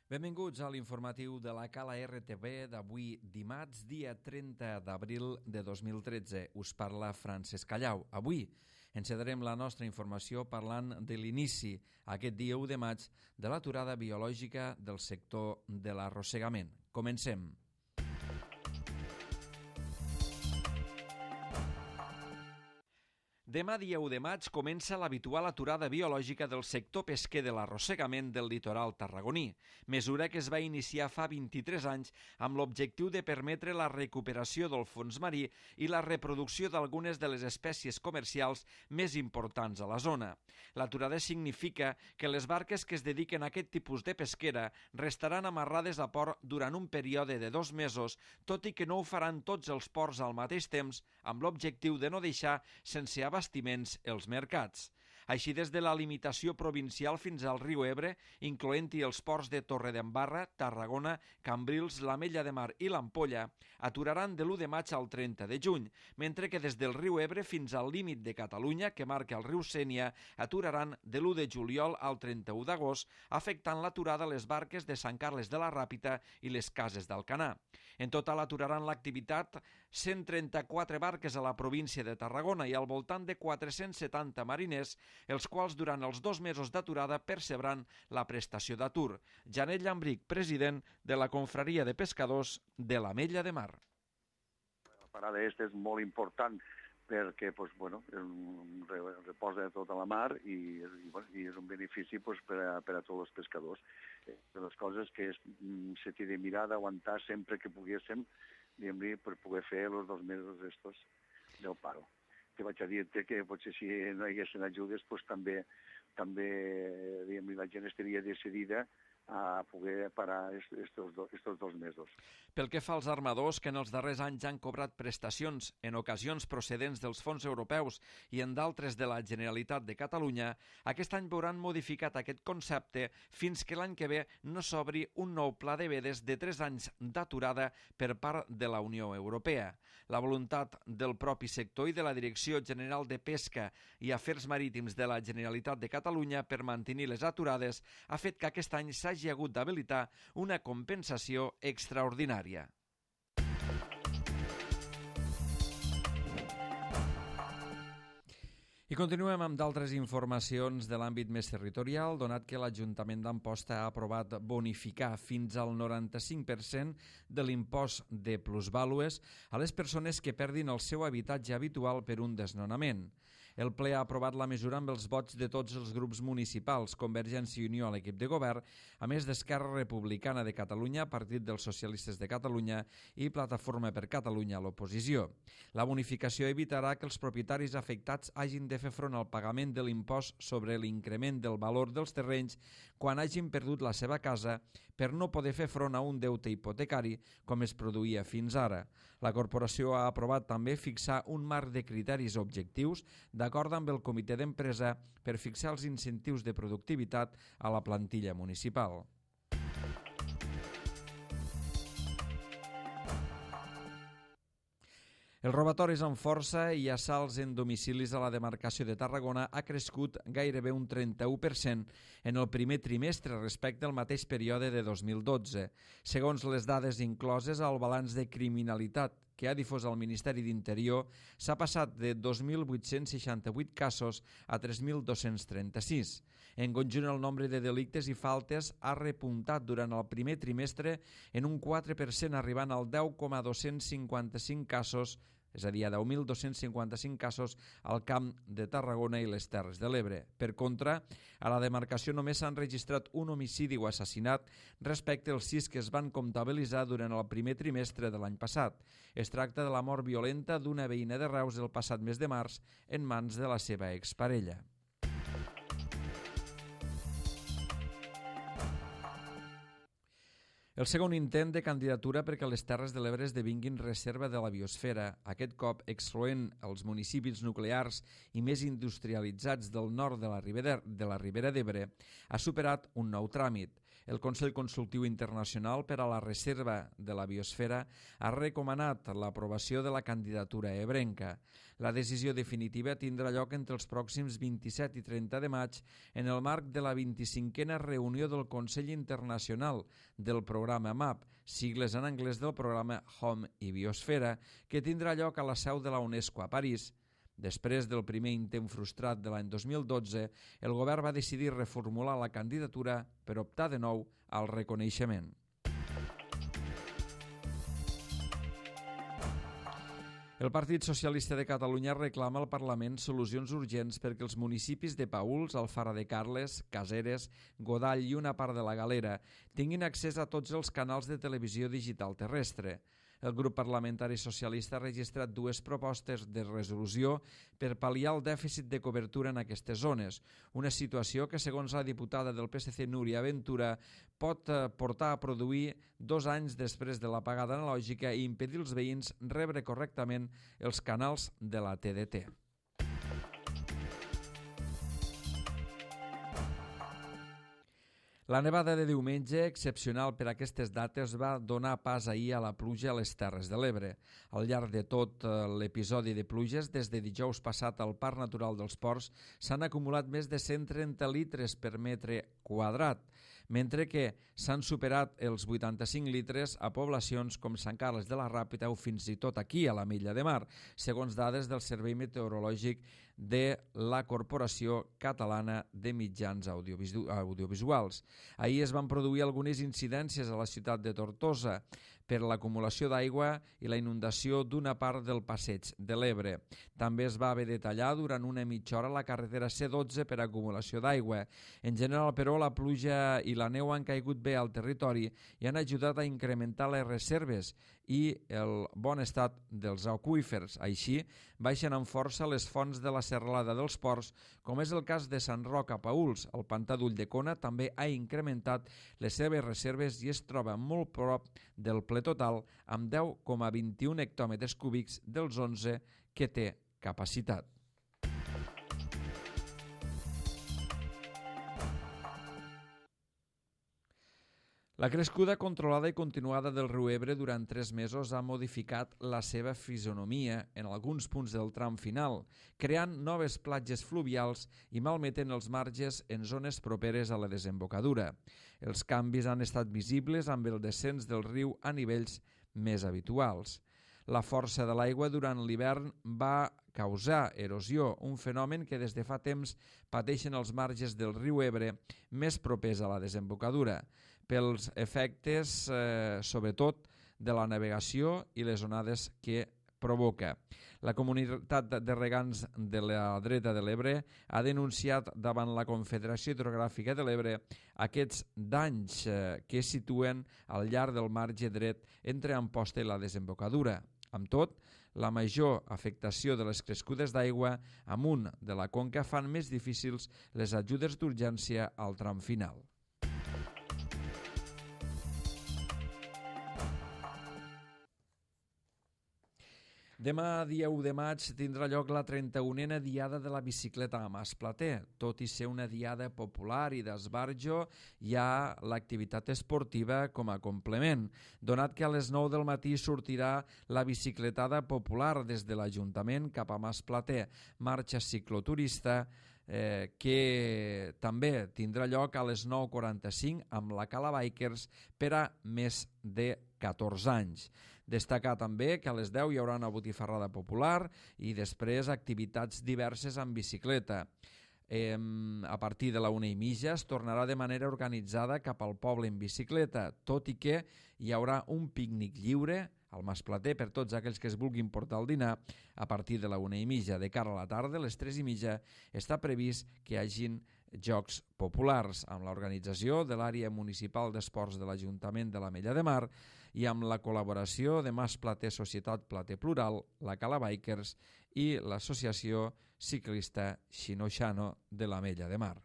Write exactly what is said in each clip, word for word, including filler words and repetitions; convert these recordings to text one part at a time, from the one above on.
Benvinguts a l'informatiu de la Cala R T V d'avui dimarts, dia trenta d'abril de dos mil tretze. Us parla Francesc Callau. Avui encetarem la nostra informació parlant de l'inici, aquest dia u de maig, de l'aturada biològica del sector de l'arrossegament. Comencem. Demà, dia u de maig, comença l'habitual aturada biològica del sector pesquer de l'arrossegament del litoral tarragoní, mesura que es va iniciar fa vint-i-tres anys amb l'objectiu de permetre la recuperació del fons marí i la reproducció d'algunes de les espècies comercials més importants a la zona. L'aturada significa que les barques que es dediquen a aquest tipus de pesquera restaran amarrades a port durant un període de dos mesos, tot i que no ho faran tots els ports al mateix temps, amb l'objectiu de no deixar sense abastiments els mercats. Així, des de la limitació provincial fins al riu Ebre, incloent-hi els ports de Torredembarra, Tarragona, Cambrils, l'Ametlla de Mar i l'Ampolla, aturaran de l'u de maig al trenta de juny, mentre que des del riu Ebre fins al límit de Catalunya, que marca el riu Sénia, aturaran de l'u de juliol al trenta-u d'agost, afectant l'aturada a les barques de Sant Carles de la Ràpita i les Cases d'Alcanar. En total aturaran l'activitat cent trenta-quatre barques a la província de Tarragona i al voltant de quatre-cents setanta mariners, els quals durant els dos mesos d'aturada percebran la prestació d'atur. Janet Llambric, president de la Confraria de Pescadors de l'Ametlla de Mar. La parada aquesta és molt important perquè pues, bueno, reposa tota la mar i, i, bueno, i és un benefici pues, per, a, per a tots els pescadors. De les coses que és, se t'hi de mirar d'aguantar sempre que poguéssim per poder fer els dos mesos estos del paro. Que vaig a dir-te que potser si no hi haguessin ajudes pues, també, també la gent estaria decidida a poder parar estos, do, estos dos mesos. Pel que fa als armadors, que en els darrers anys han cobrat prestacions, en ocasions procedents dels fons europeus i en d'altres de la Generalitat de Catalunya, aquest any veuran modificat aquest concepte fins que l'any que ve no s'obri un nou pla de vedes de tres anys d'aturada per part de la Unió Europea. La voluntat del propi sector i de la Direcció General de Pesca i Afers Marítims de la Generalitat de Catalunya per mantenir les aturades ha fet que aquest any s'hagi hagi hagut d'habilitar una compensació extraordinària. I continuem amb d'altres informacions de l'àmbit més territorial, donat que l'Ajuntament d'Amposta ha aprovat bonificar fins al noranta-cinc per cent de l'impost de plusvàlues a les persones que perdin el seu habitatge habitual per un desnonament. El ple ha aprovat la mesura amb els vots de tots els grups municipals, Convergència i Unió a l'equip de govern, a més d'Esquerra Republicana de Catalunya, Partit dels Socialistes de Catalunya i Plataforma per Catalunya a l'oposició. La bonificació evitarà que els propietaris afectats hagin de fer front al pagament de l'impost sobre l'increment del valor dels terrenys quan hagin perdut la seva casa per no poder fer front a un deute hipotecari com es produïa fins ara. La corporació ha aprovat també fixar un marc de criteris objectius d'acord amb el comitè d'empresa per fixar els incentius de productivitat a la plantilla municipal. Els robatoris amb força i assalts en domicilis a la demarcació de Tarragona ha crescut gairebé un trenta-u per cent en el primer trimestre respecte al mateix període de dos mil dotze. Segons les dades incloses al balanç de criminalitat que ha difós el Ministeri d'Interior, s'ha passat de dos mil vuit-cents seixanta-vuit casos a tres mil dos-cents trenta-sis. En conjunt, el nombre de delictes i faltes ha repuntat durant el primer trimestre en un quatre per cent, arribant al deu coma dos-cents cinquanta-cinc casos, és a dir, a deu mil dos-cents cinquanta-cinc casos al Camp de Tarragona i les Terres de l'Ebre. Per contra, a la demarcació només s'han registrat un homicidi o assassinat respecte als sis que es van comptabilitzar durant el primer trimestre de l'any passat. Es tracta de la mort violenta d'una veïna de Reus el passat mes de març en mans de la seva exparella. El segon intent de candidatura perquè les Terres de l'Ebre esdevinguin reserva de la biosfera, aquest cop excloent els municipis nuclears i més industrialitzats del nord de la Ribera de la Ribera d'Ebre, ha superat un nou tràmit. El Consell Consultiu Internacional per a la Reserva de la Biosfera ha recomanat l'aprovació de la candidatura ebrenca. La decisió definitiva tindrà lloc entre els pròxims vint-i-set i trenta de maig en el marc de la vint-i-cinquena reunió del Consell Internacional del programa MAP, sigles en anglès del programa Home i Biosfera, que tindrà lloc a la seu de la UNESCO a París. Després del primer intent frustrat de l'any dos mil dotze, el govern va decidir reformular la candidatura per optar de nou al reconeixement. El Partit Socialista de Catalunya reclama al Parlament solucions urgents perquè els municipis de Paüls, Alfara de Carles, Caseres, Godall i una part de la Galera tinguin accés a tots els canals de televisió digital terrestre. El grup parlamentari socialista ha registrat dues propostes de resolució per pal·liar el dèficit de cobertura en aquestes zones, una situació que, segons la diputada del P S C Núria Ventura, pot portar a produir dos anys després de l'apagada analògica i impedir als veïns rebre correctament els canals de la T D T. La nevada de diumenge, excepcional per aquestes dates, va donar pas ahir a la pluja a les Terres de l'Ebre. Al llarg de tot l'episodi de pluges, des de dijous passat al Parc Natural dels Ports, s'han acumulat més de cent trenta litres per metre quadrat, mentre que s'han superat els vuitanta-cinc litres a poblacions com Sant Carles de la Ràpita o fins i tot aquí, a l'Ametlla de Mar, segons dades del Servei Meteorològic de la Corporació Catalana de Mitjans Audiovisuals. Ahir es van produir algunes incidències a la ciutat de Tortosa per l'acumulació d'aigua i la inundació d'una part del passeig de l'Ebre. També es va haver de tallar durant una mitja hora la carretera C dotze per acumulació d'aigua. En general, però, la pluja i la neu han caigut bé al territori i han ajudat a incrementar les reserves i el bon estat dels aqüífers. Així, baixen amb força les fonts de la serralada dels Ports, com és el cas de Sant Roc a Paüls. El pantà d'Ulldecona també ha incrementat les seves reserves i es troba molt prop del ple total, amb deu coma vint-i-un hectòmetres cúbics dels onze que té capacitat. La crescuda controlada i continuada del riu Ebre durant tres mesos ha modificat la seva fisonomia en alguns punts del tram final, creant noves platges fluvials i malmetent els marges en zones properes a la desembocadura. Els canvis han estat visibles amb el descens del riu a nivells més habituals. La força de l'aigua durant l'hivern va causar erosió, un fenomen que des de fa temps pateixen els marges del riu Ebre més propers a la desembocadura, pels efectes, eh, sobretot, de la navegació i les onades que provoca. La comunitat de regants de la dreta de l'Ebre ha denunciat davant la Confederació Hidrogràfica de l'Ebre aquests danys eh, que es situen al llarg del marge dret entre Amposta i la desembocadura. Amb tot, la major afectació de les crescudes d'aigua amunt de la conca fan més difícils les ajudes d'urgència al tram final. Demà, dia u de maig, tindrà lloc la trenta-unena Diada de la Bicicleta a Masplater. Tot i ser una diada popular i d'esbarjo, hi ha l'activitat esportiva com a complement, donat que a les nou del matí sortirà la bicicletada popular des de l'Ajuntament cap a Masplater, marxa cicloturista, eh, que també tindrà lloc a les nou quaranta-cinc amb la Cala Bikers per a més de catorze anys. Destacar també que a les deu hi haurà una botifarrada popular i després activitats diverses amb bicicleta. Eh, a partir de la una i mitja es tornarà de manera organitzada cap al poble en bicicleta, tot i que hi haurà un pícnic lliure al Masplater per tots aquells que es vulguin portar el dinar a partir de la una i mitja. De cara a la tarda, a les tres i mitja, està previst que hi hagin jocs populars amb l'organització de l'àrea municipal d'esports de l'Ajuntament de l'Ametlla de Mar i amb la col·laboració de Masplater Societat Plater Plural, la Cala Bikers i l'Associació Ciclista Xino-Xano de l'Ametlla de Mar.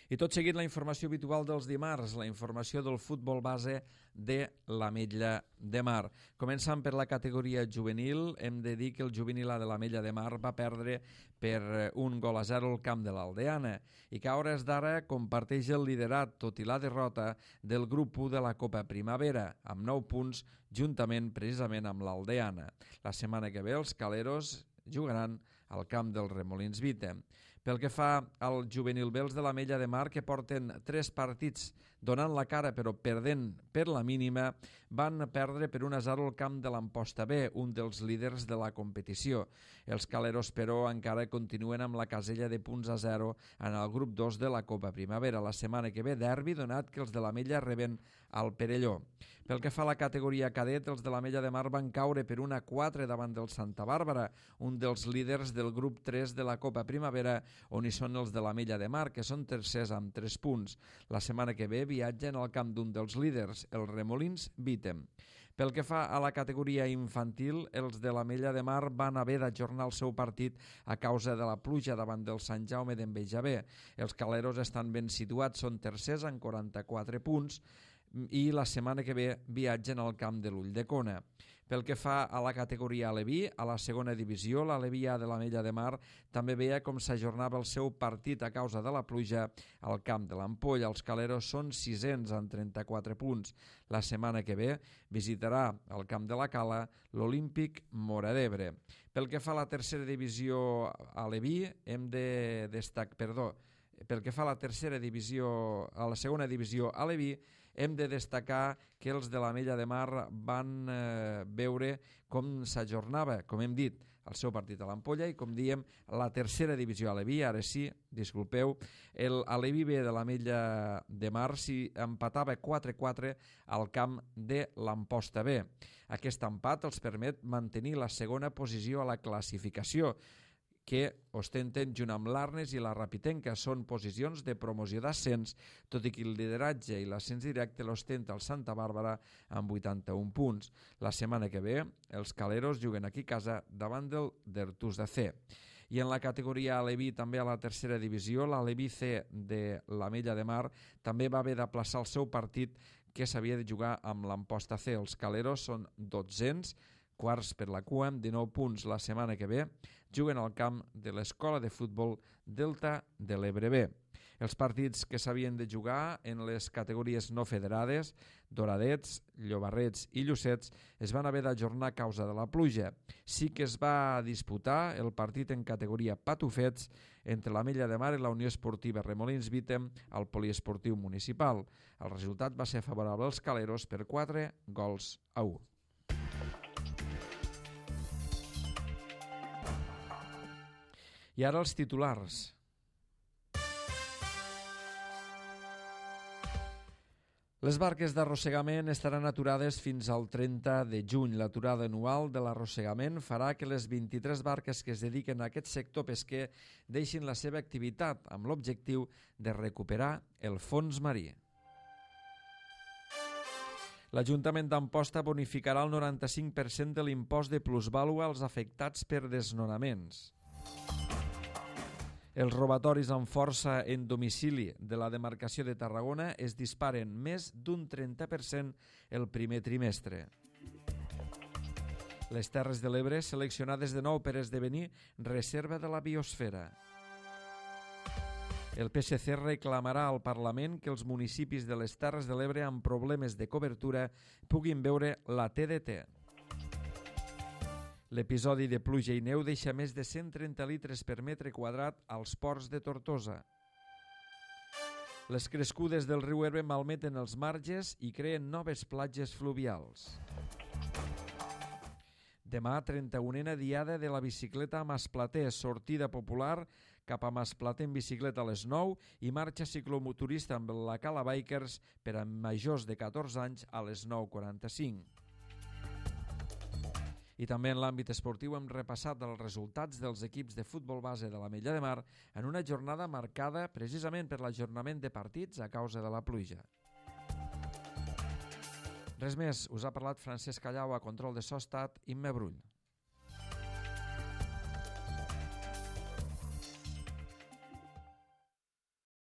I tot seguit la informació habitual dels dimarts, la informació del futbol base de l'Ametlla de Mar. Començant per la categoria juvenil, hem de dir que el juvenil A de l'Ametlla de Mar va perdre per un gol a zero al camp de l'Aldeana i que a hores d'ara comparteix el liderat, tot i la derrota, del grup u de la Copa Primavera, amb nou punts, juntament precisament amb l'Aldeana. La setmana que ve els caleros jugaran al camp del Remolins Vite. Pel que fa al juvenil B, els de l'Ametlla de Mar, que porten tres partits donant la cara però perdent per la mínima, van perdre per un a zero al camp de l'Amposta B, un dels líders de la competició. Els caleros, però, encara continuen amb la casella de punts a zero en el grup dos de la Copa Primavera. La setmana que ve, derbi, donat que els de l'Ametlla reben al Perelló. Pel que fa a la categoria cadet, els de l'Ametlla de Mar van caure per un a quatre davant del Santa Bàrbara, un dels líders del grup tres de la Copa Primavera, on hi són els de l'Ametlla de Mar, que són tercers amb tres punts. La setmana que ve viatgen al camp d'un dels líders, el Remolins Vitem. Pel que fa a la categoria infantil, els de l'Ametlla de Mar van haver d'ajornar el seu partit a causa de la pluja davant del Sant Jaume d'Enveja B. Els caleros estan ben situats, són tercers amb quaranta-quatre punts, i la setmana que ve viatgen al camp de l'Ulldecona. Pel que fa a la categoria Aleví, a la segona divisió, l'Aleví A de l'Ametlla de Mar també veia com s'ajornava el seu partit a causa de la pluja al camp de l'Ampolla. Els caleros són sisens amb trenta-quatre punts. La setmana que ve visitarà al camp de la Cala l'Olímpic Móra d'Ebre. Pel que fa a la tercera divisió Aleví, hem de destacar, perdó, pel que fa a la tercera divisió, a la segona divisió Aleví, hem de destacar que els de l'Ametlla de Mar van eh, veure com s'ajornava, com hem dit, el seu partit a l'Ampolla i, com diem, la tercera divisió Aleví, ara sí, disculpeu, el Aleví B de l'Ametlla de Mar s'hi empatava quatre a quatre al camp de l'Amposta B. Aquest empat els permet mantenir la segona posició a la classificació, que ostenten junt amb l'Arnes i la Rapitenca. Són posicions de promoció d'ascens, tot i que el lideratge i l'ascens directe l'ostenta el Santa Bàrbara amb vuitanta-un punts. La setmana que ve, els caleros juguen aquí a casa davant del d'Ertús de C. I en la categoria Aleví, també a la tercera divisió, l'Aleví C de l'Ametlla de Mar també va haver d'aplaçar el seu partit que s'havia de jugar amb l'Amposta C. Els caleros són dotzens, quarts per la cua, amb dinou punts. La setmana que ve juguen al camp de l'Escola de Futbol Delta de l'Ebre B. Els partits que s'havien de jugar en les categories no federades, Doradets, Llobarrets i Llucets, es van haver d'ajornar a causa de la pluja. Sí que es va disputar el partit en categoria Patufets entre l'Ametlla de Mar i la Unió Esportiva Remolins Vitem al Poliesportiu Municipal. El resultat va ser favorable als caleros per quatre gols a u. I ara els titulars. Les barques d'arrossegament estaran aturades fins al trenta de juny. L'aturada anual de l'arrossegament farà que les vint-i-tres barques que es dediquen a aquest sector pesquer deixin la seva activitat amb l'objectiu de recuperar el fons marí. L'Ajuntament d'Amposta bonificarà el noranta-cinc per cent de l'impost de plusvàlua als afectats per desnonaments. Els robatoris amb força en domicili de la demarcació de Tarragona es disparen més d'un trenta per cent el primer trimestre. Les Terres de l'Ebre seleccionades de nou per esdevenir reserva de la biosfera. El P S C reclamarà al Parlament que els municipis de les Terres de l'Ebre amb problemes de cobertura puguin veure la T D T. L'episodi de pluja i neu deixa més de cent trenta litres per metre quadrat als ports de Tortosa. Les crescudes del riu Ebre malmeten els marges i creen noves platges fluvials. Demà, trenta-unena diada de la bicicleta a Masplater, sortida popular cap a Masplater en bicicleta a les nou i marxa ciclomotorista amb la Cala Bikers per a majors de catorze anys a les nou quaranta-cinc. I també en l'àmbit esportiu hem repassat els resultats dels equips de futbol base de l'Ametlla de Mar en una jornada marcada precisament per l'ajornament de partits a causa de la pluja. Res més, us ha parlat Francesc Callau, a control de so ha estat Imma Brull.